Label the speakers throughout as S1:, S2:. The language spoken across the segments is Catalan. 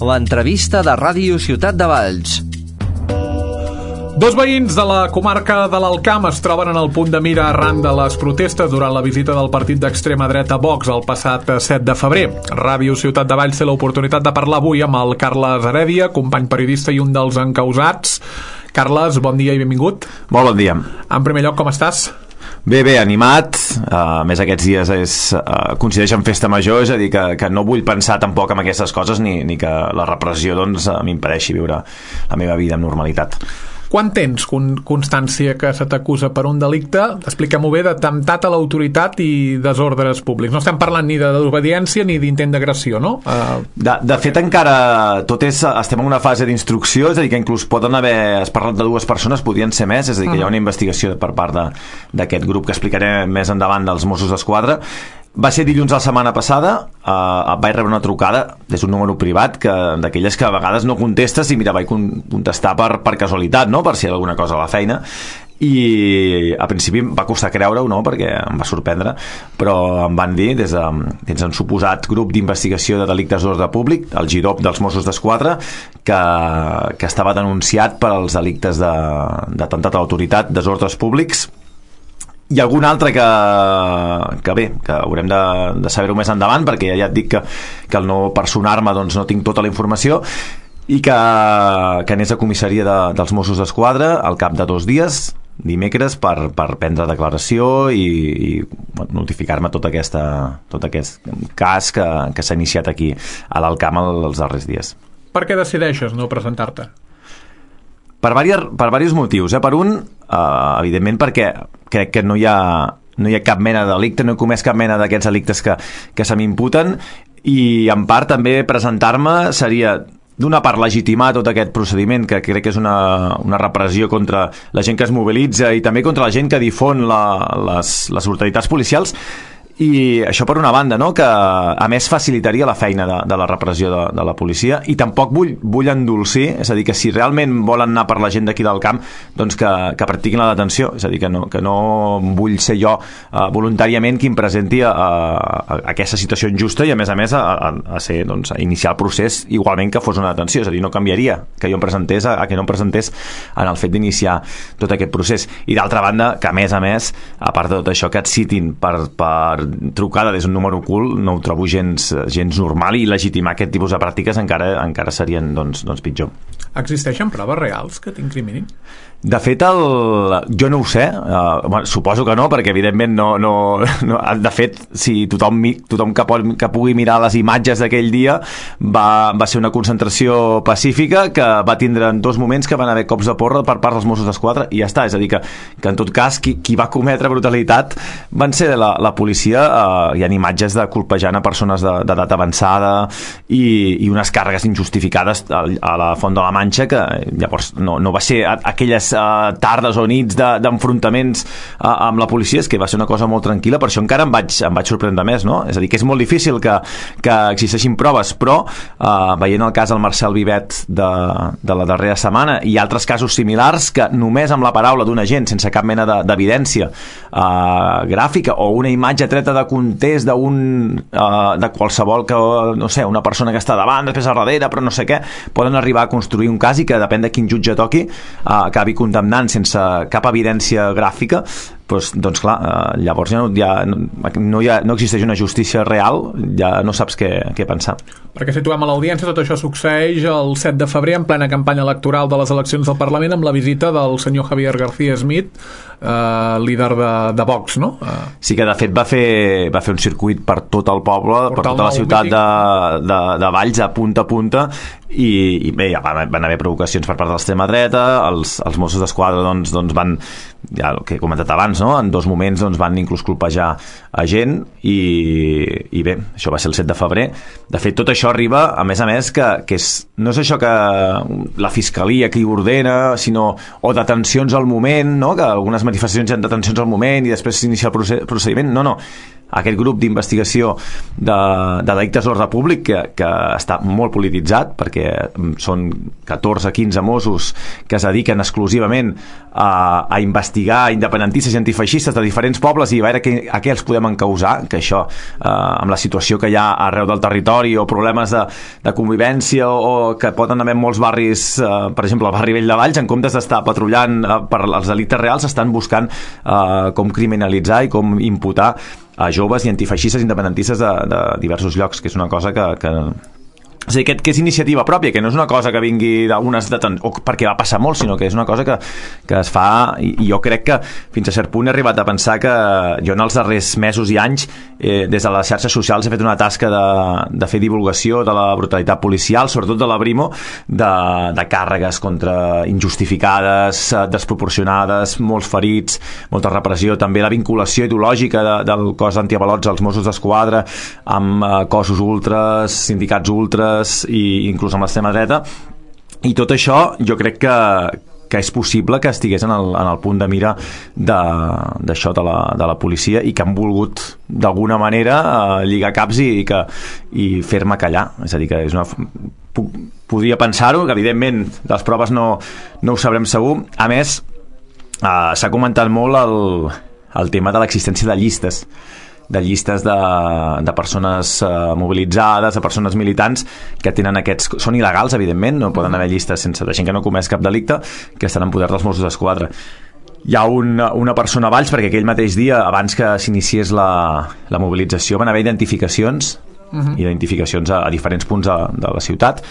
S1: L'entrevista de Ràdio Ciutat de Valls.
S2: Dos veïns de la comarca de l'Alt Camp es troben en el punt de mira arran de les protestes durant la visita del partit d'extrema dreta Vox el passat 7 de febrer. Ràdio Ciutat de Valls té l'oportunitat de parlar avui amb el Carles Heredia, company periodista i un dels encausats. Carles, bon dia i benvingut.
S3: Molt bon dia.
S2: En primer lloc, com estàs?
S3: Bé, animat. A més, aquests dies coincideix amb festa major, és a dir, que no vull pensar tampoc en aquestes coses ni que la repressió m'impedeixi viure la meva vida amb normalitat.
S2: Quan tens constància que se t'acusa per un delicte, explica-m'ho bé, d'atemptat a l'autoritat i desordres públics? No estem parlant ni de desobediència ni d'intent d'agressió, no?
S3: De fet, encara estem en una fase d'instrucció, és a dir, que inclús has parlat de dues persones, podrien ser més, és a dir, que hi ha una investigació per part d'aquest grup que explicaré més endavant dels Mossos d'Esquadra. Va ser dilluns de la setmana passada, vaig rebre una trucada des d'un número privat d'aquelles que a vegades no contestes i mira, vaig contestar per casualitat, no? Per si hi ha alguna cosa a la feina, i al principi em va costar creure-ho, no? Perquè em va sorprendre, però em van dir des d'un suposat grup d'investigació de delictes d'ordre públic, el GIDOP dels Mossos d'Esquadra, que estava denunciat per als delictes d'atemptat a l'autoritat, desordres públics, i algun altre que haurem de saber-ho més endavant, perquè ja et dic que al no personar-me doncs no tinc tota la informació, i que anés a comissaria dels Mossos d'Esquadra al cap de 2 dies, dimecres, per prendre declaració i notificar-me tot aquest cas que s'ha iniciat aquí a l'Alt Camp els darrers dies.
S2: Per què decideixes no presentar-te?
S3: Per diversos motius. Per un, evidentment, perquè crec que no hi ha cap mena de delicte, no he comès cap mena d'aquests delictes que se m'imputen, i en part també presentar-me seria d'una part legitimar tot aquest procediment, que crec que és una repressió contra la gent que es mobilitza i també contra la gent que difon les autoritats policials. I això per una banda, no? Que a més facilitaria la feina de la repressió de la policia, i tampoc vull endolcir, és a dir, que si realment volen anar per la gent d'aquí del camp, doncs que practiquin la detenció, és a dir, que no vull ser jo voluntàriament qui em presenti a aquesta situació injusta i a més a iniciar el procés igualment que fos una detenció, és a dir, no canviaria que jo em presentés a que no em presentés en el fet d'iniciar tot aquest procés. I d'altra banda, que a més, a part de tot això, que et citin per trucada des d'un número ocult, no ho trobo gens normal, i legitimar aquest tipus de pràctiques encara serien doncs pitjor.
S2: Existeixen proves reals que t'incriminin?
S3: De fet, jo no ho sé, suposo que no, perquè evidentment no, de fet, si tothom que pugui mirar les imatges d'aquell dia, va ser una concentració pacífica que va tindre en 2 moments que van haver cops de porra per part dels Mossos d'Esquadra, i ja està. És a dir, que en tot cas qui va cometre brutalitat van ser la policia. Hi ha imatges de colpejant a persones d'edat avançada i unes càrregues injustificades a la Font de la Manxa, que llavors no va ser aquelles tardes o nits d'enfrontaments amb la policia, és que va ser una cosa molt tranquil·la. Per això encara em vaig sorprendre més, no? És a dir, que és molt difícil que existeixin proves, però veient el cas del Marcel Vivet de la darrera setmana i altres casos similars, que només amb la paraula d'un agent, sense cap mena d'evidència gràfica o una imatge treta de context de qualsevol, que no sé, una persona que està davant, després a darrere, però no sé què, poden arribar a construir un cas i que depèn de quin jutge toqui acabi condemnant sense cap evidència gràfica. Doncs clar, llavors no existeix una justícia real, ja no saps què pensar.
S2: Perquè situem a l'audiència, tot això succeeix el 7 de febrer en plena campanya electoral de les eleccions del Parlament, amb la visita del senyor Javier García Smith, líder de Vox, no?
S3: Sí, que de fet va fer un circuit per tot el poble, per tota la ciutat de Valls, a punta, i bé, ja van haver provocacions per part de l'extrema dreta. Els Mossos d'Esquadra doncs van, ja el que he comentat abans, no? En 2 moments van inclús colpejar a gent, i bé, això va ser el 7 de febrer. De fet, tot això arriba, a més, que no és això que la fiscalia qui ordena, sinó o detencions al moment, no? Que algunes manifestacions hi ha detencions al moment i després s'inicia el procediment. No. aquest grup d'investigació de delictes d'ordre públic que està molt polititzat, perquè són 14-15 Mossos que es dediquen exclusivament a investigar independentistes i antifeixistes de diferents pobles i a veure a què els podem encausar, que això amb la situació que hi ha arreu del territori o problemes de convivència o que poden haver molts barris, per exemple el barri Vell de Valls, en comptes d'estar patrullant per als delictes reals, estan buscant com criminalitzar i com imputar a joves i antifeixistes independentistes de diversos llocs, que és una cosa que és a dir, que és iniciativa pròpia, que no és una cosa que vingui d'unes o perquè va passar molt, sinó que és una cosa que es fa, i jo crec que fins a cert punt he arribat a pensar que jo en els darrers mesos i anys des de les xarxes socials he fet una tasca de fer divulgació de la brutalitat policial, sobretot de la Brimo, de càrregues injustificades, desproporcionades, molts ferits, molta repressió, també la vinculació ideològica del cos d'antiavalots als Mossos d'Esquadra amb cossos ultres, sindicats ultres i inclús amb l'extrema dreta, i tot això jo crec que és possible que estigués en el punt de mira d'això de la policia, i que han volgut d'alguna manera lligar caps i fer-me callar. És a dir, que és podria pensar-ho, que evidentment les proves no ho sabrem segur. A més, s'ha comentat molt el tema de l'existència de llistes de persones mobilitzades, de persones militants que tenen són il·legals, evidentment, no poden haver llistes de gent que no comès cap delicte, que estan en poder dels Mossos d'Esquadra. Hi ha una persona a Valls, perquè aquell mateix dia, abans que s'iniciés la mobilització, van haver identificacions, identificacions a diferents punts de la ciutat,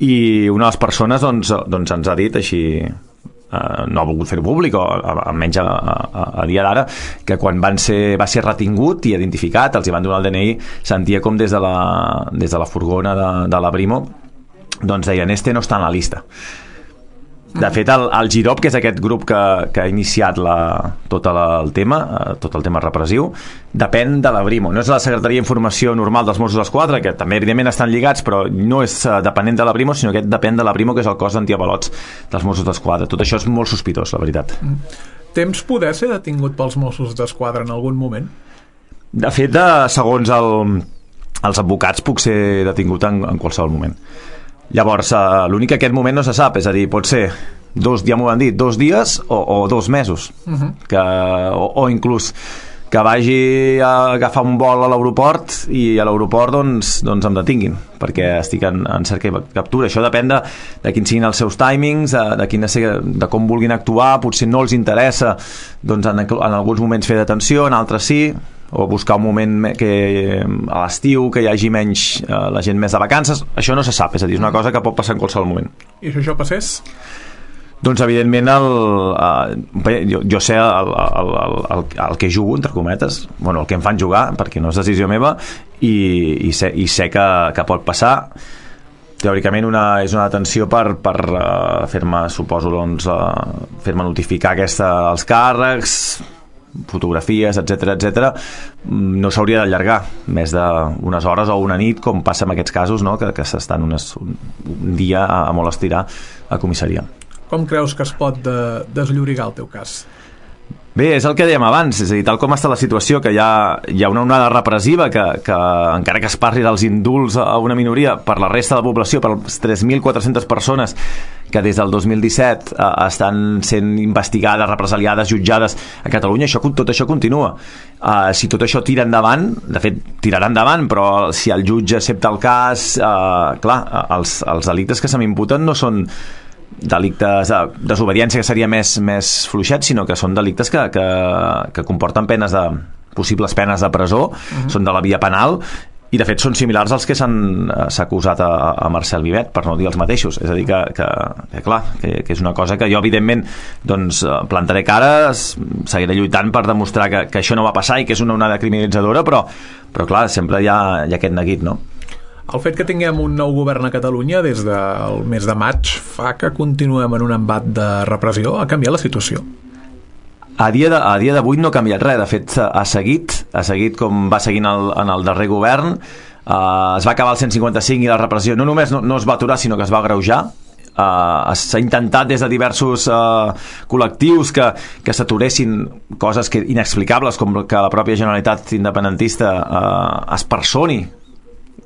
S3: i una de les persones doncs ens ha dit així, no ha volgut fer-ho públic, o almenys a dia d'ara, que quan va ser retingut i identificat, els hi van donar el DNI, sentia com des de la furgona de la Brimo doncs deien, no està en la lista. De fet, el GIROP, que és aquest grup que ha iniciat tot el tema repressiu, depèn de la Brimo. No és la Secretaria d'Informació normal dels Mossos d'Esquadra, que també evidentment estan lligats, però no és dependent de la Brimo, sinó que depèn de la Brimo, que és el cos d'antiavalots dels Mossos d'Esquadra. Tot això és molt sospitós, la veritat.
S2: Temps poder ser detingut pels Mossos d'Esquadra en algun moment?
S3: De fet, segons els advocats, puc ser detingut en qualsevol moment. Llavors, l'únic que aquest moment no se sap, és a dir, pot ser ja m'ho van dir, 2 dies o 2 mesos, o inclús que vagi a agafar un vol a l'aeroport i a l'aeroport doncs em detinguin perquè estic en cerca i captura. Això depèn de quins siguin els seus timings, de com vulguin actuar. Potser no els interessa doncs en alguns moments fer detenció, en altres sí, o buscar un moment a l'estiu que hi hagi menys la gent més de vacances. Això no se sap, és a dir, és una cosa que pot passar en qualsevol moment.
S2: I si això passés?
S3: Doncs evidentment jo sé el que jugo, entre cometes, el que em fan jugar, perquè no és decisió meva, i sé que pot passar. Teòricament és una detenció per fer-me, suposo, fer-me notificar els càrrecs, fotografies, etc. No s'hauria d'allargar més d'unes hores o una nit, com passa en aquests casos, no? que s'estan un dia a molt estirar a comissaria.
S2: Com creus que es pot desllorigar el teu cas?
S3: Bé, és el que dèiem abans, és a dir, tal com està la situació, que hi ha una onada repressiva que encara que es parli dels indults a una minoria, per la resta de la població, per les 3.400 persones que des del 2017 estan sent investigades, represaliades, jutjades a Catalunya, tot això continua. Si tot això tira endavant, de fet tirarà endavant, però si el jutge accepta el cas, clar, els delictes que se m'imputen no són delictes de desobediència, que seria més fluixet, sinó que són delictes que comporten possibles penes de presó, són de la via penal, i de fet són similars als que s'ha acusat a Marcel Vivet, per no dir els mateixos. És a dir, que clar, que és una cosa que jo evidentment doncs plantaré cara, seguiré lluitant per demostrar que això no va passar i que és una onada criminalitzadora, però clar, sempre hi ha aquest neguit, no?
S2: El fet que tinguem un nou govern a Catalunya des del mes de maig fa que continuem en un embat de repressió. Ha canviat la situació?
S3: A dia d'avui no ha canviat res. De fet, ha seguit com va seguint en el darrer govern. Es va acabar el 155 i la repressió no només no es va aturar, sinó que es va agreujar. s'ha intentat des de diversos col·lectius que s'aturessin coses inexplicables, com que la pròpia Generalitat independentista es personi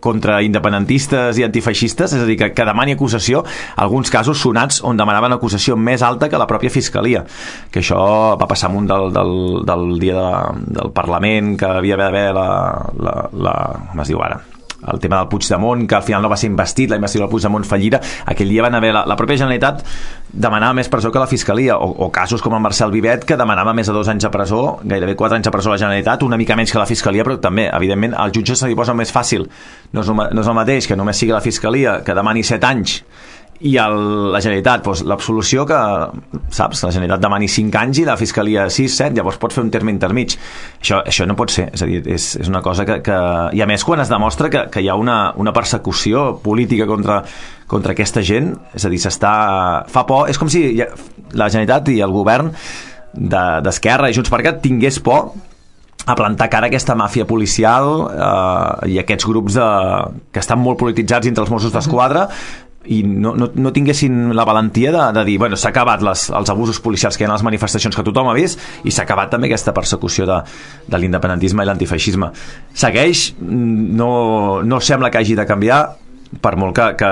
S3: contra independentistes i antifeixistes, és a dir, que demani acusació, alguns casos sonats on demanaven acusació més alta que la pròpia Fiscalia, que això va passar amunt del dia del Parlament, que havia d'haver com es diu ara, el tema del Puigdemont, que al final no va ser investit, la investidura del Puigdemont fallida, aquell dia van haver la pròpia Generalitat demanava més presó que la Fiscalia, o casos com el Marcel Vivet, que demanava més de 2 anys de presó, gairebé 4 anys de presó a la Generalitat, una mica menys que la Fiscalia, però també, evidentment, al jutge se li posa més fàcil. No és el mateix que només sigui la Fiscalia que demani 7 anys i la Generalitat, doncs, l'absolució que, saps, la Generalitat demani 5 anys i la Fiscalia 6, 7, llavors pot fer un terme intermig. Això no pot ser, és a dir, és una cosa que... I a més, quan es demostra que hi ha una persecució política contra aquesta gent, és a dir, fa por, és com si la Generalitat i el govern d'Esquerra i Junts per Cat tingués por a plantar cara a aquesta màfia policial i aquests grups que estan molt polititzats entre els Mossos d'Esquadra i no tinguessin la valentia de dir, bueno, s'ha acabat els abusos policials que hi ha a les manifestacions que tothom ha vist i s'ha acabat també aquesta persecució de l'independentisme i l'antifeixisme. Segueix, no sembla que hagi de canviar, per molt que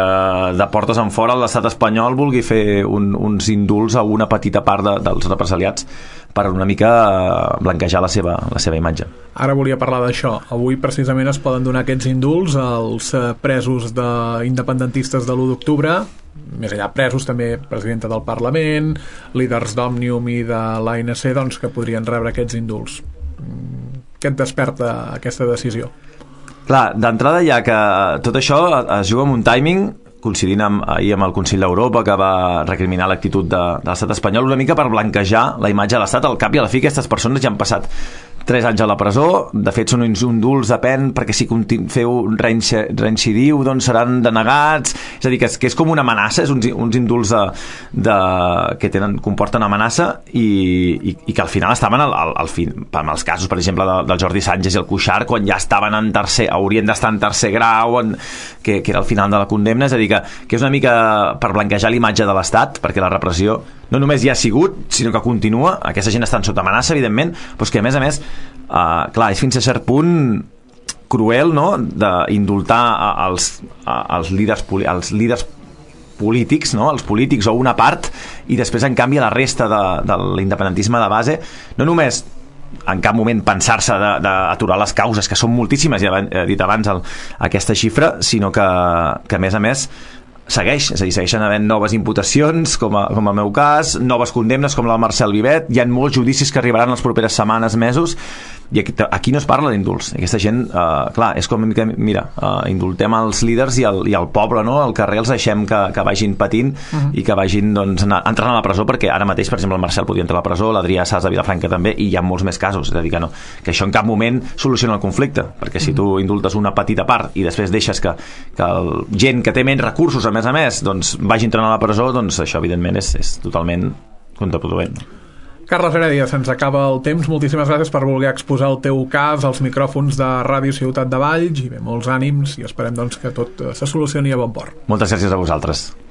S3: de portes en fora l'estat espanyol vulgui fer uns indults a una petita part dels represaliats per una mica blanquejar la seva imatge.
S2: Ara volia parlar d'això. Avui precisament es poden donar aquests indults als presos independentistes de l'1 d'octubre, més enllà presos també presidenta del Parlament, líders d'Òmnium i de l'ANC, doncs, que podrien rebre aquests indults. Què et desperta aquesta decisió?
S3: Clar, d'entrada ja que tot això es juga amb un timing coincidint ahir amb el Consell d'Europa, que va recriminar l'actitud de l'estat espanyol una mica per blanquejar la imatge de l'estat. Al cap i a la fi aquestes persones ja han passat 3 anys a la presó, de fet són uns indults depèn, perquè si feu reincidiu doncs seran denegats, és a dir, que és com una amenaça, és uns indults que comporten amenaça i que al final estaven en els casos, per exemple, del Jordi Sànchez i el Cuixart, quan ja estaven haurien d'estar en tercer grau, que era el final de la condemna, és a dir, que és una mica per blanquejar l'imatge de l'Estat, perquè la repressió no només hi ha sigut, sinó que continua, aquesta gent està sota amenaça, evidentment, però que a més, clar, és fins a cert punt cruel, no?, d'indultar els líders polítics, no?, els polítics o una part, i després, en canvi, la resta de l'independentisme de base, no només en cap moment pensar-se d'aturar les causes, que són moltíssimes, ja he dit abans aquesta xifra, sinó que a més segueix, és a dir, segueixen havent noves imputacions, com el meu cas, noves condemnes com la del Marcel Vivet, hi ha molts judicis que arribaran les properes setmanes, mesos, i aquí no es parla d'indults. Aquesta gent, clar, és com, mira, indultem els líders i el poble, no?, al carrer els deixem que vagin patint i que vagin, doncs, entrant a la presó, perquè ara mateix, per exemple, el Marcel podria entrar a la presó, l'Adrià Sas de Vilafranca també, i hi ha molts més casos, és a dir, que això en cap moment soluciona el conflicte, perquè si tu indultes una petita part i després deixes que gent que té menys recursos, a més, doncs, vagi entrant a la presó, doncs això, evidentment, és totalment contraproduent.
S2: Carles Heredia, se'ns acaba el temps. Moltíssimes gràcies per voler exposar el teu cas als micròfons de Ràdio Ciutat de Valls, i bé, molts ànims, i esperem doncs que tot se solucioni a bon port.
S3: Moltes gràcies a vosaltres.